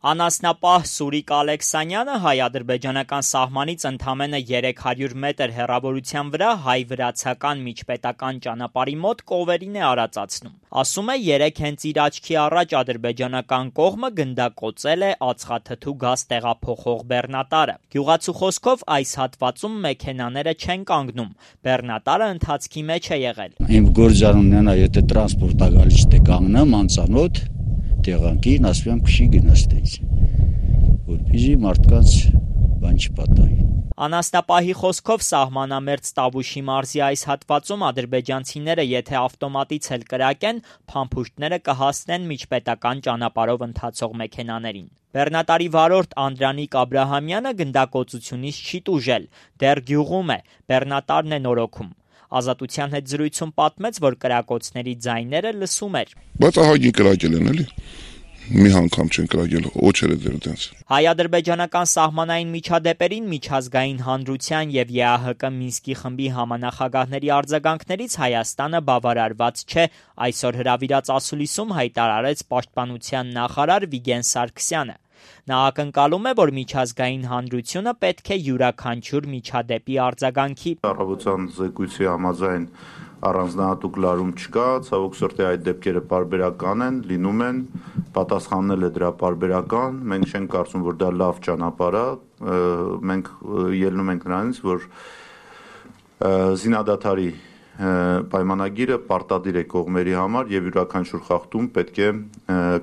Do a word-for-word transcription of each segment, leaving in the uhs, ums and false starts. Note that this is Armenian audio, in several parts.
Անասնապահ Սուրիկ Ալեքսանյանը հայ-ադրբեջանական սահմանից ընդամենը երեք հարյուր մետր հեռավորության վրա հայ-վրացական միջպետական ճանապարհի մոտ կովերին է արածացնում։ Ասում է, երեկ հենց իր աչքի առաջ ադրբեջանական կողմը գնդակոծել է ածխաթթու գազ տեղափոխող բեռնատարը։ Գյուղացու խոսքով այս հատվածում մեքենաները չեն կանգնում, բեռնատարը ընթացքի մեջ է եղել։ Իմ գործառույթն է, եթե տրանսպորտը գալիս է կանգնեմ անծանոթ տեղանքին, ասում եմ քշի գնացտից, որպեսզի մարդկանց բան չպատահի։ Անասնապահի խոսքով սահմանամերձ Տավուշի մարզի այս հատվածում ադրբեջանցիները եթե ավտոմատից էլ կրակեն, փամփուշտները կհասնեն միջպետական ճանապարհով ընթացող մեքենաներին։ Բեռնատարի վարորդ Անդրանիկ Աբրահամյանը գնդակոծությունից չի տուժել, դեռ գյուղում է, բեռնատարն է նորոգում։ Ազատության հետ զրույցում պատմեց, որ կրակոցների ձայները լսում էր։ Բայց ահագին կրակել են էլի։ Մի անգամ չեն կրակել, օջերը դեռ դենց։ Հայ-ադրբեջանական սահմանային միջադեպերին միջազգային հանրության եւ ԵԱՀԿ Մինսկի խմբի համանախագահների արձագանքներից Հայաստանը բավարարված չէ, այսօր հրավիրած ասուլիսում հայտարարեց պաշտպանության նախարար Վիգեն Սարգսյանը։ Նա ակնկալում է, որ միջազգային հանրությունը պետք է յուրաքանչյուր միջադեպի արձագանքի։ Առավոտյան զեկույցի համաձայն առանձնահատուկ լարում չկա, ցավոք սրտի այդ դեպքերը պարբերական են, լինում են, պատասխաննել է դրա պարբերական, մենք չենք կարծում, որ դա լավ ճանապարհ է, մենք ելնում ենք նրանից, որ զինադադարի պայմանագիրը պարտադիր է կողմերի համար եւ յուրաքանչյուր խախտում պետք է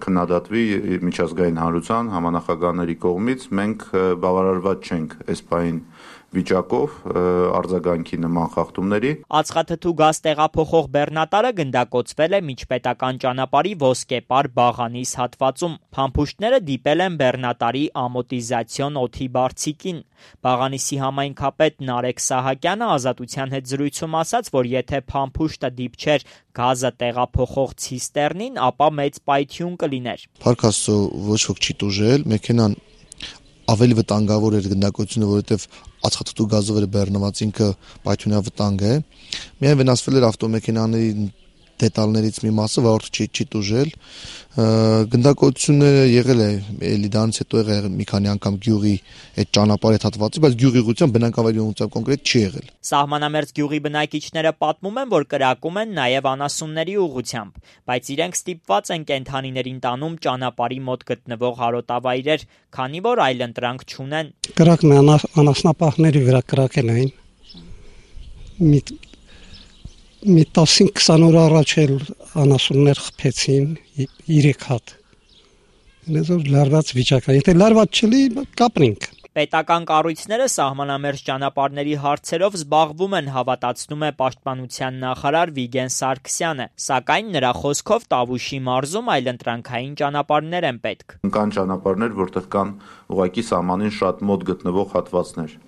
քննադատվի միջազգային հանրության համանախագահների կողմից։ Մենք բավարարված չենք այս պահին վիճակով արձագանքի նման խախտումների։ Ածխաթթու գազ տեղափոխող բեռնատարը գնդակոծվել է միջպետական ճանապարհի Ոսկեպար Բաղանիս հատվածում։ Փամփուշտները դիպել են բեռնատարի ամորտիզացիոն օդի բարձիկին։ Բաղանիսի համայնքապետ Նարեկ Սահակյանը Ազատության հետ զրույցում ասաց, որ եթե փամփուշտը դիպչեր գազը տեղափոխող ցիստեռնին, ապա մեծ պայթյուն կլիներ։ Փառք Աստծո, ոչ ոք չի տուժել, մեքենան ավելի վտանգավոր էր գնդակոծությունը, որովհետև ածխաթթու գազով էր բեռնված, ինքը պայթյունավտանգ է։ Միայն վնասվել էր ավտոմեքենաների դետալներից մի մասը, որը չի չի տուժել։ Գնդակոծությունը եղել է, էլի դրանից հետո եղել մի քանի անգամ գյուղի այդ ճանապարհի հատվածի, բայց գյուղի ուղղությամբ բնակավայրի ուղղությամբ կոնկրետ չի եղել։ Սահմանամերձ գյուղի բնակիչները պատմում են, որ կրակում են նաև անասունների ուղղությամբ, բայց իրենք ստիպված են կենդանիներին տանում ճանապարհի մոտ գտնվող հարոտավայրեր, քանի որ այլընտրանք չունեն։ Կրակն անասնապահների վրա կրակել էին։ Մի մի տասնհինգ քսան օր առաջ էլ անասուններ խփեցին երեք հատ։ Ինձ լարված վիճակ է, եթե լարված չլի, կապրինք։ Պետական կառույցները սահմանամերձ ճանապարհների հարցերով զբաղվում են, հավատացնում է պաշտպանության նախարար Վիգեն Սարգսյանը, սակայն նրա խոսքով Տավուշի մարզում այլընտրանքային ճանապարհներ են պետք։ Կան ճանապարհներ, որտեղ կան ուղղակի սահմանին շատ մոտ գտնվող հատվածներ,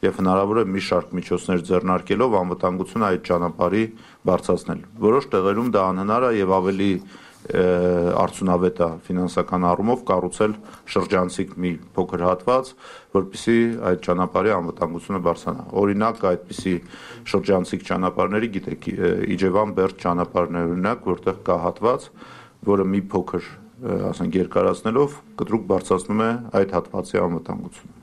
եւ հնարավոր է մի շարք միջոցներ ձեռնարկելով անվտանգությունը այդ ճանապարհի բարձրացնել։ Որոշ տեղերում դա անհնար է եւ ավելի արդյունավետ է ֆինանսական առումով կառուցել շրջանցիկ մի փոքր հատված, որպեսզի այդ ճանապարհի անվտանգությունը բարձրանա։ Օրինակ, այդպիսի շրջանցիկ ճանապարհների, գիտեք, Իջևան Բերդ ճանապարհն է օրինակ, որտեղ կա հատված, որը մի փոքր, ասենք, երկարացնելով կտրուկ բարձրացնում է այդ հատվածի անվտանգությունը։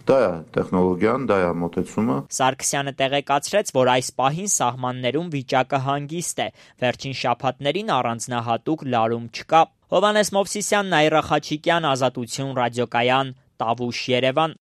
Դա է տեխնոլոգիան, դա է մոտեցումը։ Սարգսյանը տեղեկացրեց, որ այս պահին սահմաններում վիճակը հանգիստ է, վերջին շաբաթներին առանձնահատուկ լարում չկա։ Հովհաննես Մովսիսյան, Նաիրա Խաչիկյան, Ազատություն ռադիոկայան, Տավուշ, Երևան։